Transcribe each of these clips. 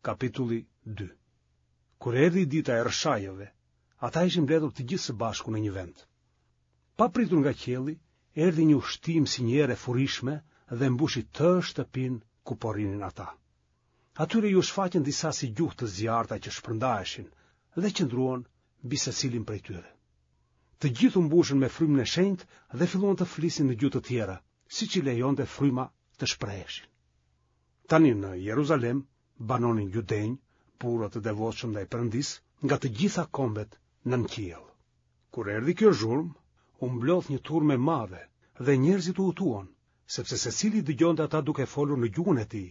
Kapitulli 2 Kur erdhi dita e Rrëshajëve, ata ishin mbledhur të gjithë së bashku në një vend. Papritur nga qielli, erdhi një ushtimë si një erë e furishme dhe mbushi tërë shtëpinë ku po rrinin ata. Atyre iu shfaqën disa si gjuhë të zjarrta që shpërndaheshin dhe qëndruan mbi secilin prej tyre. Të gjithë u mbushën me frymën e shenjtë dhe filluan të flisnin në gjuhë të tjera, siç i lejonte fryma të shpreheshin. Tani në Jeruzalem banonin judenj, burra të devotshëm ndaj Perëndisë, nga të gjitha kombet nën qiell. Kur erdhi kjo zhurmë, u mblodh një turmë e madhe dhe njerëzit u hutuan, sepse secili i dëgjonte ata duke folur në gjuhën e tij.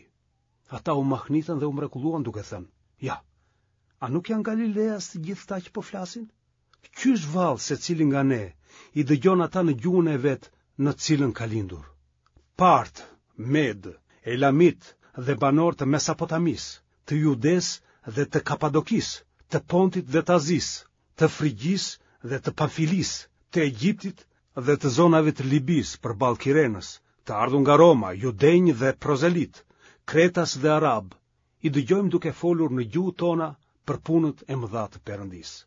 Ata u mahnitën dhe u mrekulluan duke thënë: "Ja, a nuk janë galileas të gjithë këta që po flasin? Qysh vallë secili nga ne i dëgjon ata në gjuhën e vet në të cilën ka lindur? Partë, Medë, Elamitë dhe banorë të Mesopotamisë, të Judesë dhe të Kapadokisë, të Pontit dhe të Azisë, të Frigjisë dhe të Pamfilisë, të Egjiptit dhe të zonave të Libisë përballë Kirenës, të ardhur nga Roma, judenj dhe prozelitë, kretas dhe arabë, i dëgjojmë duke folur në gjuhët tona për punët e mëdha të Perëndisë.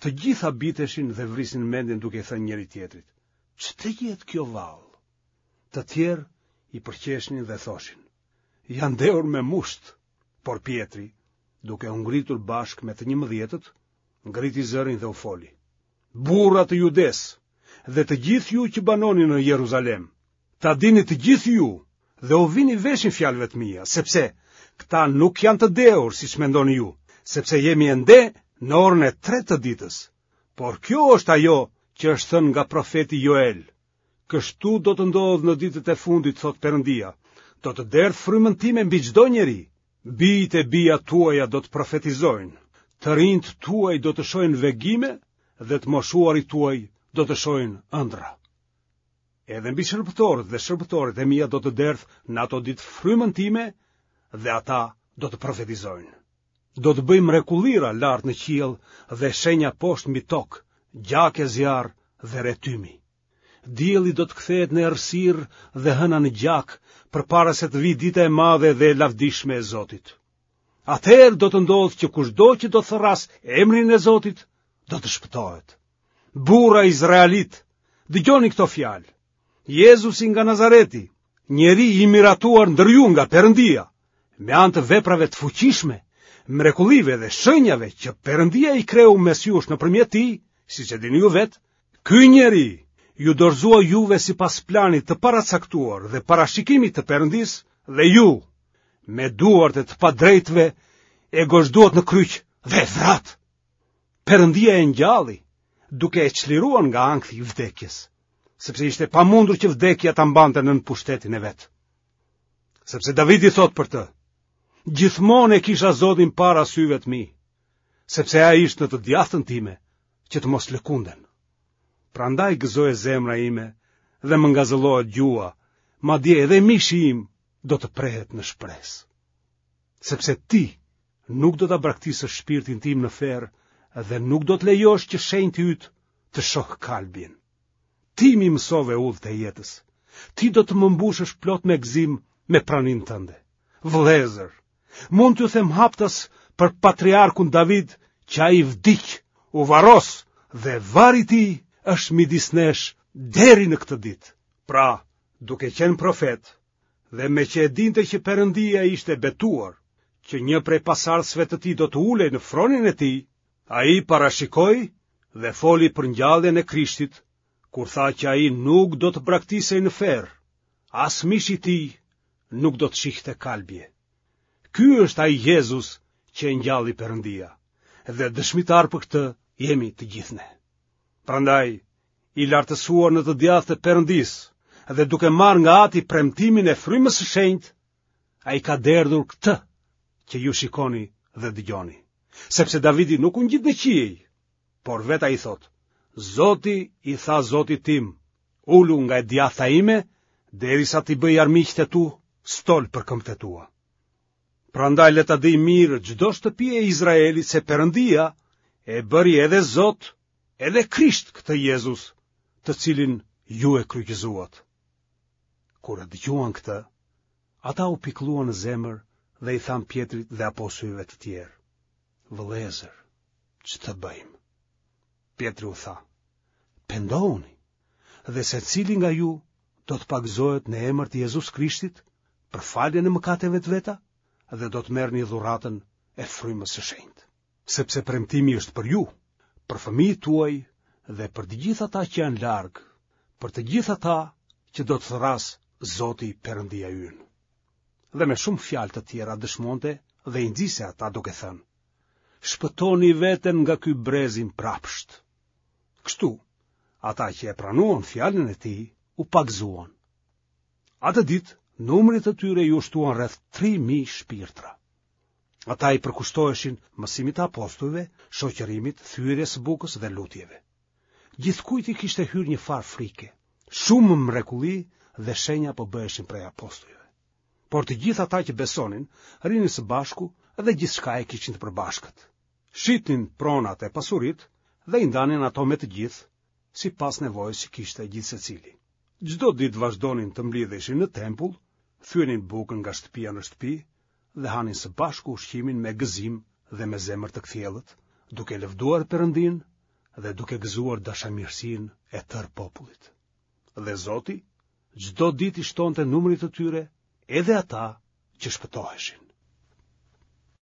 Të gjithë habiteshin dhe vrisnin mendjen duke i thënë njëri-tjetrit, ç'të jetë kjo vallë? Të tjerë i përqeshnin dhe thoshin, janë dehur me musht, por Pjetri, duke u ngritur bashkë me të njëmbëdhjetët, ngriti zërin dhe u foli. Burra të Judesë dhe të gjithë ju që banoni në Jeruzalem, ta dini të gjithë ju dhe ua vini veshin fjalëve të mia, sepse këta nuk janë të dehur siç mendoni ju, sepse jemi ende në orën e tretë të ditës. Por kjo është ajo që është thënë nga profeti Joel. Kështu do të ndodhë në ditët e fundit, thotë Perëndia, do të derdh frymën time mbi çdo njeri. Bijtë e bijat tuaja do të profetizojnë, të rinjtë tuaj do të shohin vegime dhe të moshuarit tuaj do të shohin ëndrra. Edhe mbi shërbëtorët dhe shërbëtoret e mia do të derdh në ato ditë frymën time dhe ata do të profetizojnë. Do të bëj mrekullira lart në qiell dhe shenja poshtë mbi tokë, gjak e zjarr dhe re tymi. Dielli do të kthehet në errësirë dhe hëna në gjak, përpara se të vijë dita e madhe dhe e lavdishme e Zotit. Atëherë do të ndodhë që kushdo që do të thërrasë emrin e Zotit, do të shpëtohet. Burra izraelitë, dëgjoni këto fjalë. Jezusi nga Nazareti, njeri i miratuar ndër ju nga Perëndia, me anë të veprave të fuqishme, mrekullive dhe shenjave që Perëndia i kreu mes jush nëpërmjet tij, siç e dini ju vetë, ky njeri iu dorëzua juve sipas planit të paracaktuar dhe parashikimit të Perëndisë dhe ju, me duart e të padrejtëve, e gozhduat në kryq dhe e vratë. Perëndia e ngjalli, duke e çliruar nga ankthi i vdekjes, sepse ishte e pamundur që vdekja ta mbante nën pushtetin e vet. Sepse Davidi thotë për të, gjithmonë e kisha Zotin para syve të mi, sepse ai është në të djathtën time, që të mos lëkundem. Prandaj gëzohet zemra ime dhe më ngazëllohet gjuha, madje edhe mishi im do të prehet në shpresë. Sepse ti nuk do ta braktisësh shpirtin tim në ferr dhe nuk do të lejosh që shenjti yt të shohë kalbjen. Ti m'i mësove udhët e jetës. Ti do të më mbushësh plot me gëzim me praninë tënde. Vëllezër, mund t'ju them haptas për patriarkun David që ai vdiq, u varros dhe varri i tij është midis nesh deri në këtë ditë. Pra, duke qenë profet, dhe meqë e dinte që Perëndia ishte betuar, që një prej pasardhësve të tij do të ulej në fronin e tij, ai parashikoi dhe foli për ngjalljen e Krishtit, kur tha që ai nuk do të braktisej në ferr, as mishi i tij nuk do të shihte kalbje. Ky është ai Jezus që e ngjalli Perëndia, dhe dëshmitarë për këtë jemi të gjithë ne. Prandaj, i lartësuar në të djathtë të Perëndisë dhe duke marrë nga Ati premtimin e frymës së shenjtë, ai ka derdhur këtë që ju shikoni dhe dëgjoni. Sepse Davidi nuk u ngjit në qiej, por vetë ai thotë, Zoti i tha Zotit tim, ulu nga e djathta ime, derisa t'i bëj armiqtë e tu stol për këmbët e tua. Prandaj le ta dijë mirë çdo shtëpi e Izraelit se Perëndia e bëri edhe Zot edhe Krisht këtë Jezus, të cilin ju e kryqëzuat. Kur e dëgjuan këtë, ata u pikëlluan në zemër dhe i thanë Pjetrit dhe apostujve të tjerë, Vëllezër, ç'të bëjmë? Pjetri u tha, Pendohuni, dhe secili nga ju do të pagëzohet në emër të Jezus Krishtit për faljen e mëkateve të veta dhe do të merrni dhuratën e frymës së shenjtë. Sepse premtimi është për ju, për fëmijët tuaj dhe për të gjithë ata që janë larg, për të gjithë ata që do të thërrasë Zoti Perëndia ynë. Dhe me shumë fjalë të tjera dëshmonte dhe i nxiste ata duke thënë: Shpëtoni veten nga ky brez i mbrapshtë. Kështu, ata që e pranuan fjalën e tij u pagëzuan. Atë ditë, numrit të tyre iu shtuan rreth 3000 shpirtra. Ata i përkushtoheshin mësimit të apostujve, shoqërimit, thyerjes së bukës dhe lutjeve. Gjithkujt i kishte hyrë një farë frike. Shumë mrekulli dhe shenja po bëheshin prej apostujve. Por të gjithë ata që besonin, rrinin së bashku dhe gjithçka e kishin të përbashkët. Shitnin pronat e pasuritë dhe i ndanin ato me të gjithë, sipas nevojës që kishte gjithsecili. Çdo ditë vazhdonin të mblidheshin në tempull, thyenin bukën nga shtëpia në shtëpi dhe hanin së bashku ushqimin me gëzim dhe me zemër të kthjellët, duke lëvduar Perëndinë dhe duke gëzuar dashamirësinë e tërë popullit. Dhe Zoti çdo ditë i shtonte numrit të tyre edhe ata që shpëtoheshin.